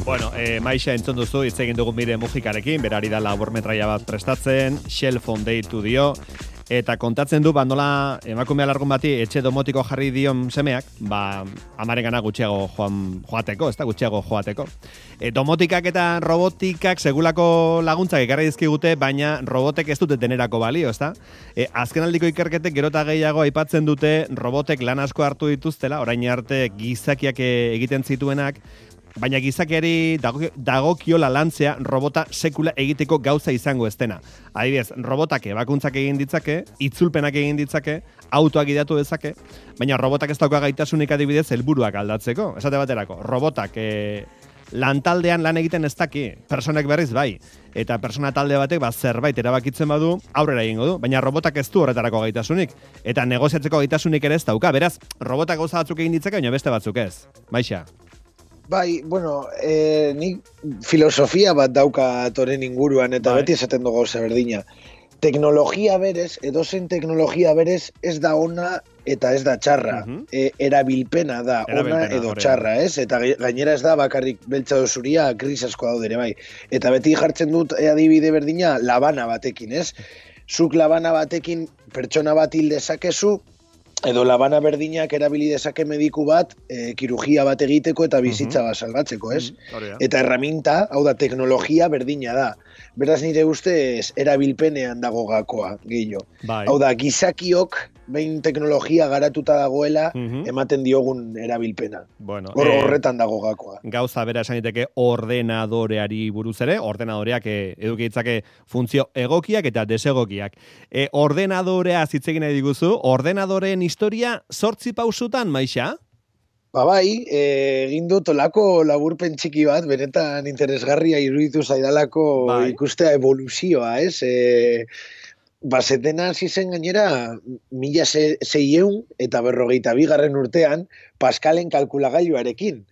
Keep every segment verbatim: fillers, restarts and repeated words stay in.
Bueno, eh, Maixa entzun duzu, hitz egin dugu Mire Mujikarekin, berari da laburmetraia bat prestatzen, Shell Phone deitu dio, eta kontatzen du, ba, nola emakumea largun bati etxe domotiko jarri dion semeak, ba, amarengana gutxiago joan, joateko, ez da, gutxiago joateko. E, domotikak eta robotikak segulako laguntzak ekarri dizkigute, baina robotek ez dute denerako balio, ez da? E, azkenaldiko ikerketek gero eta gehiago aipatzen dute robotek lan asko hartu dituztela, orain arte gizakiak egiten zituenak, baina gizakiari dagokiola lantzea robota sekula egiteko gauza izango ez dena. Adibidez, robotak ebakuntzak egin ditzake, itzulpenak egin ditzake, autoak gidatu dezake, baina robotak ez dauka gaitasunik adibidez helburuak aldatzeko. Esate baterako, robotak e, lantaldean lan egiten ez daki, personak berriz bai, eta persona talde batek ba, zerbait erabakitzen badu, aurrera egingo du, baina robotak ez du horretarako gaitasunik, eta negoziatzeko gaitasunik ere ez dauka, beraz, robotak gauza batzuk egin ditzake, baina beste batzuk ez. Maixa. Bai, bueno, eh, nik filosofia bat dauka toren inguruan, eta bai. Beti esaten dugu gauza berdina. Teknologia berez, edozen teknologia berez, ez da ona eta ez da txarra. Uh-huh. e, erabilpena da, erabilpena, ona edo txarra, ez? Eta gainera ez da bakarrik beltza dozuria, gris asko daudere, bai. Eta beti jartzen dut adibide berdina labana batekin, ez? Zuk labana batekin pertsona bat hil dezakezu, edo labana berdinak erabili dezake mediku bat, e, kirurgia bat egiteko eta bizitza bat salbatzeko, ez? Uh-huh. Eta erraminta, hau da, teknologia berdina da. Beraz nire ustez erabilpenean dago gakoa, gehiago. Bai. Hau da, gizakiok, behin teknologia garatuta dagoela, uh-huh. ematen diogun erabilpena. Bueno, Hor, eh, horretan dago gakoa. Gauza bera esan diteke ordenadoreari buruz ere, ordenadoreak eh, eduki ditzake funtzio egokiak eta desegokiak. Eh, ordenadorea zitzegin nahi diguzu, ordenadoreen historia zortzi pausutan, Maixa? Ba bai, egin dut olako laburpen txiki bat, benetan interesgarria iruditu zaidalako bai. Ikustea evoluzioa, ez? E, bazetena hasi zen gainera, mila seiehun eta berrogeita bigarren urtean, Pascalen kalkulagailuarekin.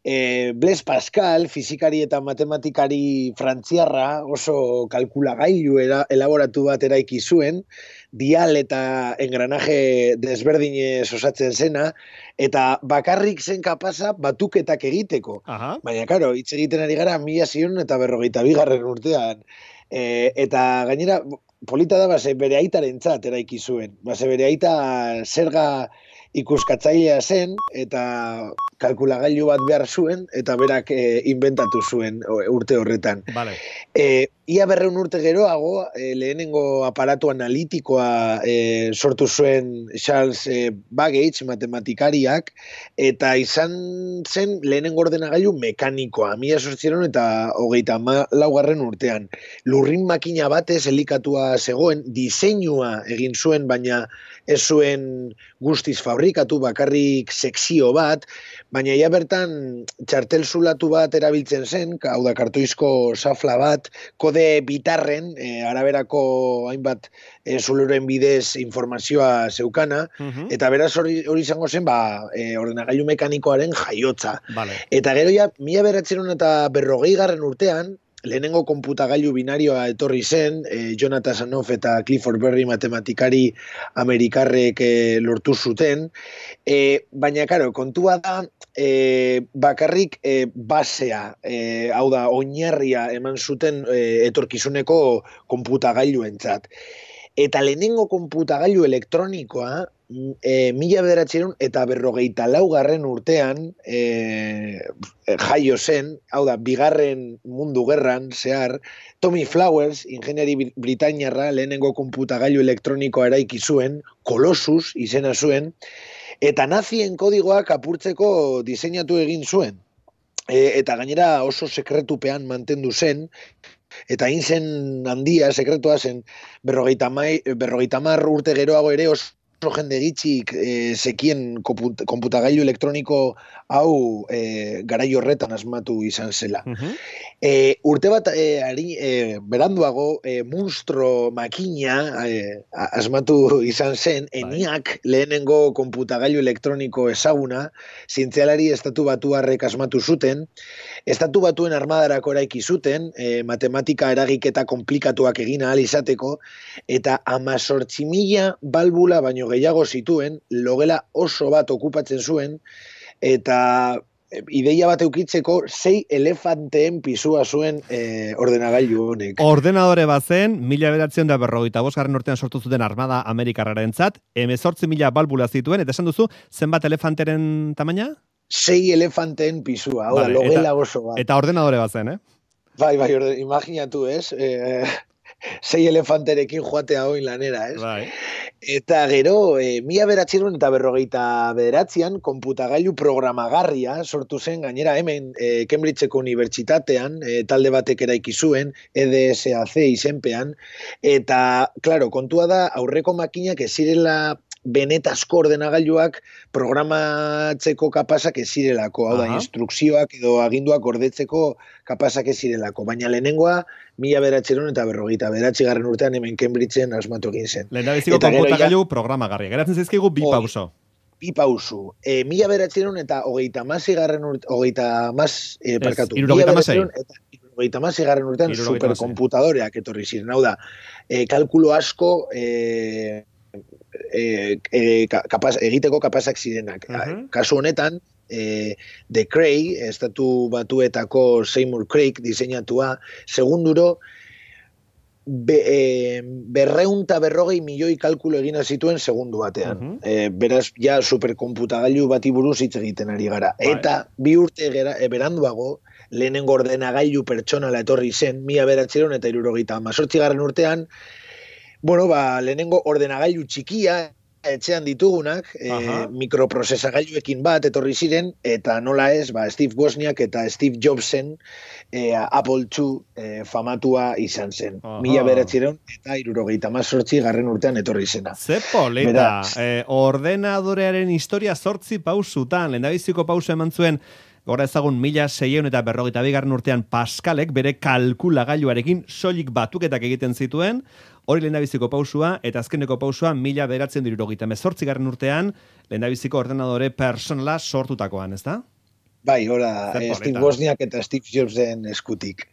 E, Blaise Pascal, fizikari eta matematikari frantziarra, oso kalkulagailu era, elaboratu bat eraiki zuen, dial eta engranaje desberdinez osatzen zena, eta bakarrik zen kapasa batuketak egiteko. Aha. Baina, karo, hitz egiten ari gara mila seiehun eta berrogeita bigarren urtean. E, eta gainera, polita da, base bere aitarentzat eraiki zuen. Base bere aita zerga ikuskatzailea zen, eta kalkulagailu bat behar zuen, eta berak e, inventatu zuen urte horretan. Vale. E, ia berreun urte geroago, e, lehenengo aparatu analitikoa e, sortu zuen Charles e, Babbage, matematikariak, eta izan zen lehenengo ordenagailu mekanikoa, mila zortziehun eta hogeita laugarren urtean. Lurrin makina batez elikatua zegoen, diseinua egin zuen, baina ez zuen guztiz fabrikatu, bakarrik sekzio bat, baina ja bertan txartel zulatu bat erabiltzen zen, hau da kartoizko safla bat, kode bitarren, e, araberako hainbat e, zuluren bidez informazioa zeukana, uh-huh. eta beraz hori izango zen, ba, e, ordenagailu mekanikoaren jaiotza. Vale. Eta gero ja, mila bederatziehun eta berrogei garren urtean, lehenengo konputagailu binarioa etorri zen, eh, Jonathan Sanoff eta Clifford Berry matematikari amerikarrek eh, lortu zuten, eh, baina, karo, kontua da, eh, bakarrik eh, basea, eh, hau da, oinarria eman zuten eh, etorkizuneko konputagailuentzat. Eta lehenengo konputagailu elektronikoa, e, mila bederatziehun eta berrogeita laugarren urtean e, jaio zen, hau da, bigarren mundu gerran zehar, Tommy Flowers, ingeniari britainiarra, lehenengo konputagailu elektronikoa eraiki zuen, Colossus izena zuen, eta nazien kodigoak apurtzeko diseinatu egin zuen. E, eta gainera oso sekretupean mantendu zen, eta hain zen handia, sekretua zen, berrogeita hamar urte geroago ere oso jende gitxik e, zekien konputagailu elektroniko hau e, garai horretan asmatu izan zela. Uh-huh. E, urte bat e, ari, e, beranduago e, monstro makina e, asmatu izan zen, ENIAC lehenengo konputagailu elektroniko ezaguna, zientzialari estatu batuarrek asmatu zuten, estatu batuen armadarako eraiki zuten, e, matematika eragiketa komplikatuak egin ahal izateko, eta hamazortzi mila balbula baino baino gehiago zituen, logela oso bat okupatzen zuen, eta ideia bat eukitzeko sei elefanteen pisua zuen eh, ordenagailu honek. Ordenadore bat zen, mila bederatziehun da berrogeita bosgarren urtean sortu zuten Armada Amerikarrarentzat, hemezortzi mila balbula zituen, eta esan duzu, zenbat elefanteren tamaina? Sei elefanteen pisua, hau da, logela oso bat. Eta ordenadore bat zen, eh? Bai, bai, orde, imaginatu, ez? Eh, sei elefanterekin joatea hoin lanera, ez? Bai. Eta gero, e, mila bederatziehun eta berrogeita bederatzian, konputagailu programagarria sortu zen, gainera hemen e, Cambridgeko unibertsitatean, e, talde batek eraiki zuen, E D S A C izenpean, eta, klaro, kontua da, aurreko makinak ez zirela benetazko ordenagailuak programatzeko kapasak ez zirelako, hau da, instrukzioak edo aginduak gordetzeko kapasak ez zirelako, baina lehenengoa mila bederatziehun eta berrogeita bederatzigarren urtean hemen Cambridgeen asmatu egin zen. Lehendabiziko konputagailu programagarria. Geratzen zaizkigu bi pauso. Bi pauso. E, mila bederatziehun eta hogeita hamaseigarren urtean, hogeita hamas, e, parkatu. Hirurogeita hamasei. Hogeita hamaseigarren urtean superkonputadoreak etorri ziren. Hau da, e, kalkulo asko e, e, e, kapaz, egiteko kapazak zirenak. Uh-huh. Kasu honetan, e, De Cray, estatu batuetako Seymour Craig diseinatua, segunduro, be, e, berreunta berrogei milioi kalkulo egina zituen segundu batean. Uh-huh. E, beraz, ja superkonputagailu bati buruz hitz egiten ari gara. Right. Eta bi urte gera, e, beranduago, lehenengo ordenagailu pertsonala etorri zen, mila bederatziehun eta hirurogeita hemezortzigarren urtean, bueno, ba, lehenengo ordenagailu txikia, etxean ditugunak, e, mikroprozesagailuekin bat etorri ziren, eta nola ez, ba, Steve Wozniak eta Steve Jobsen e, Apple two e, famatua izan zen. Aha. Mila bederatziehun eta hirurogeita hemezortzi garren urtean etorri zena. Ze polita, eh, ordenadorearen historia zortzi pausutan, lehendabiziko pausu eman zuen, gora ezagun mila seiehun eta berrogeita bigarren urtean Pascalek bere kalkulagailuarekin soilik batuketak egiten zituen, hori lehendabiziko pausua, eta azkeneko pausua mila bederatziehun eta hirurogeita hemezortzigarren urtean lehendabiziko ordenadore personala sortutakoan, ezta? Bai, ora, eh, Steve Wozniak eta Steve Jobsen eskutik.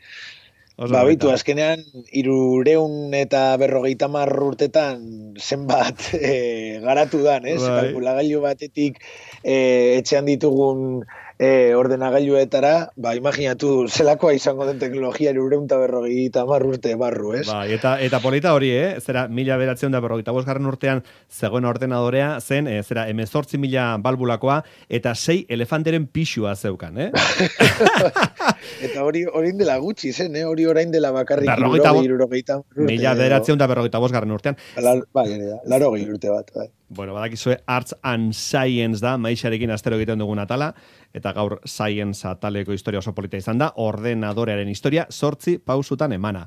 Ba, bitu, azkenean, irureun eta berrogeita hamar urtetan zenbat e, garatu dan, ez? Bai. Kalkulagailu batetik e, etxean ditugun e, ordenagailuetara, ba, imaginatu zelakoa izango den teknologia irureun eta berrogeita hamar urte barru, ez? Ba, eta, eta polita hori, eh? Zera, mila bederatziehun eta berrogeita bosgarren urtean zegoen ordenadorea zen, e, zera, hemezortzi mila balbulakoa, eta sei elefanteren pixua zeukan, eh? Eta hori orain dela gutxi zen, eh? Hori orain dela bakarrik irurogeita mila bederatziehun eta berrogeita bosgarren urtean. Bai, laro gehi urte bat, bai. Bueno, badakizue Arts and Science da, maixarekin astero egiten dugun atala, eta gaur Science ataleko historia oso polita izan da, ordenadorearen historia zortzi pausutan emana.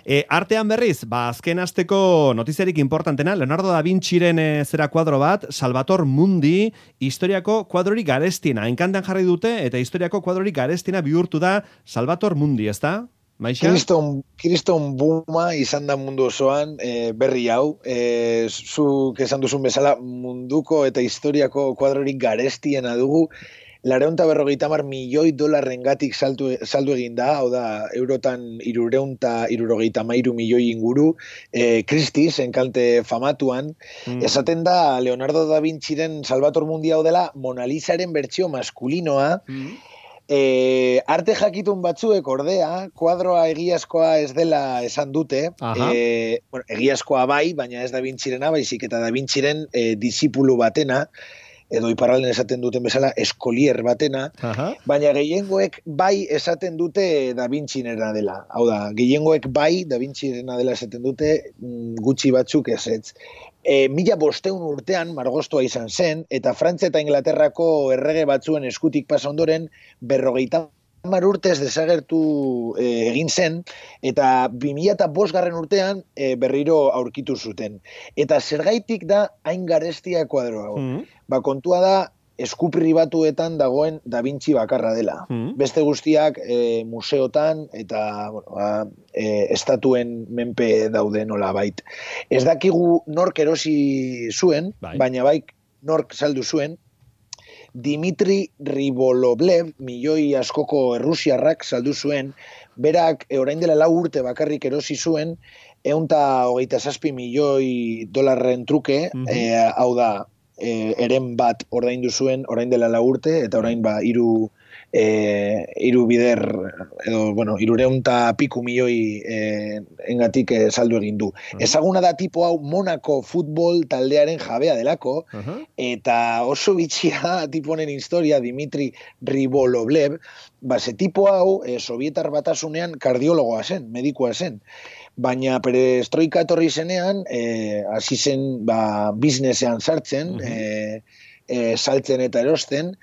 E, artean berriz, ba, azken asteko notiziarik importantena, Leonardo da Vinciren e, zera kuadro bat, Salvator Mundi, historiako kuadrorik garestiena, enkantan jarri dute, eta historiako kuadrorik garestiena bihurtu da Salvator Mundi, ez da? Kriston, kriston buma izan da mundu osoan e, berri hau, e, zuk esan duzun bezala munduko eta historiako kuadrorik garestiena dugu, lareunta berrogeita hamar milioi dolarrengatik saltu, saldu egin da, hau da, eurotan irureunta irurogeita hamairu milioi inguru, e, Christie's, enkante famatuan, mm. esaten da Leonardo da Vinciren Salvator Mundi hau dela Mona Lisaren bertsio maskulinoa, mm. E, arte jakitun batzuek ordea, kuadroa egiazkoa ez dela esan dute, e, bueno, egiazkoa bai, baina ez Da Vincirena, baizik eta Da Vinciren e, disipulu batena, edo iparralden esaten duten bezala, eskolier batena, aha. Baina gehiengoek bai esaten dute Da Vincinena dela. Hau da, gehiengoek bai Da Vincinena dela esaten dute, gutxi batzuk ez ez. E, mila bosteun urtean margostoa izan zen, eta Frantzia eta Inglaterrako errege batzuen eskutik pasa ondoren, berrogeita hamar urtez desagertu e, egin zen, eta bi mila eta bosgarren urtean e, berriro aurkitu zuten. Eta zergaitik da hain garestia kuadro hau. Mm. Ba, kontua da, esku pribatuetan dagoen Da Vinci bakarra dela. Mm. Beste guztiak e, museotan eta bueno, ba, e, estatuen menpe daude nola bait. Ez dakigu nork erosi zuen, bai. Baina bai nork saldu zuen, Dimitri Ribolovlev, milioi askoko errusiarrak saldu zuen, berak e, orain dela lau urte bakarrik erosi zuen, eunta hogeita zazpi milioi dolarren truke, mm -hmm. e, hau da, e, eren bat ordaindu zuen orain dela lau urte, eta orain ba, iru, e, iru bider, edo, bueno, irureunta piku milioi e, engatik e, saldu egin du. Uh -huh. Ezaguna da tipo hau Monako futbol taldearen jabea delako, uh -huh. eta oso bitxia tipo honen historia, Dimitri Ribolovlev, ba, ze tipo hau, e, Sovietar batasunean kardiologoa zen, medikoa zen. Baina perestroika etorri zenean, eh, hasi zen ba, biznesean sartzen, uh -huh. eh, eh, saltzen eta erosten,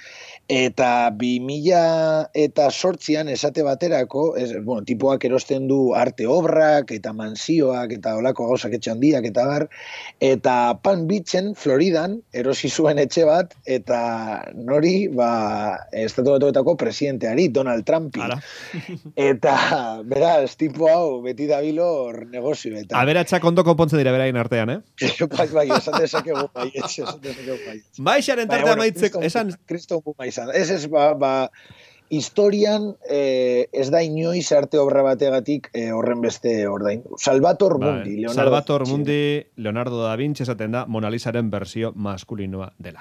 eta bi mila eta sortzian esate baterako, ez, bueno, tipoak erosten du arte obrak, eta mansioak, eta olako gauzak etxandiak, eta bar, eta Palm Beachen, Floridan, erosi zuen etxe bat, eta nori, ba, estatu batuetako presidenteari, Donald Trumpi. Eta, beraz, tipo hau, beti dabilor negozioetan. Aberatsak ondo konpontzen dira berain artean, eh? bai, bai, esan dezakegu bai, esan dezakegu bai. Bai, xaren tartea maitzeko, esan... Kriston bu bai. Ez ez, ba, ba historian eh, ez da inoiz arte obra bategatik eh, horren beste ordain. Salvator Mundi. Leonardo Salvator Mundi, Leonardo da Vinci esaten da Mona Lisaren bersio maskulinoa dela.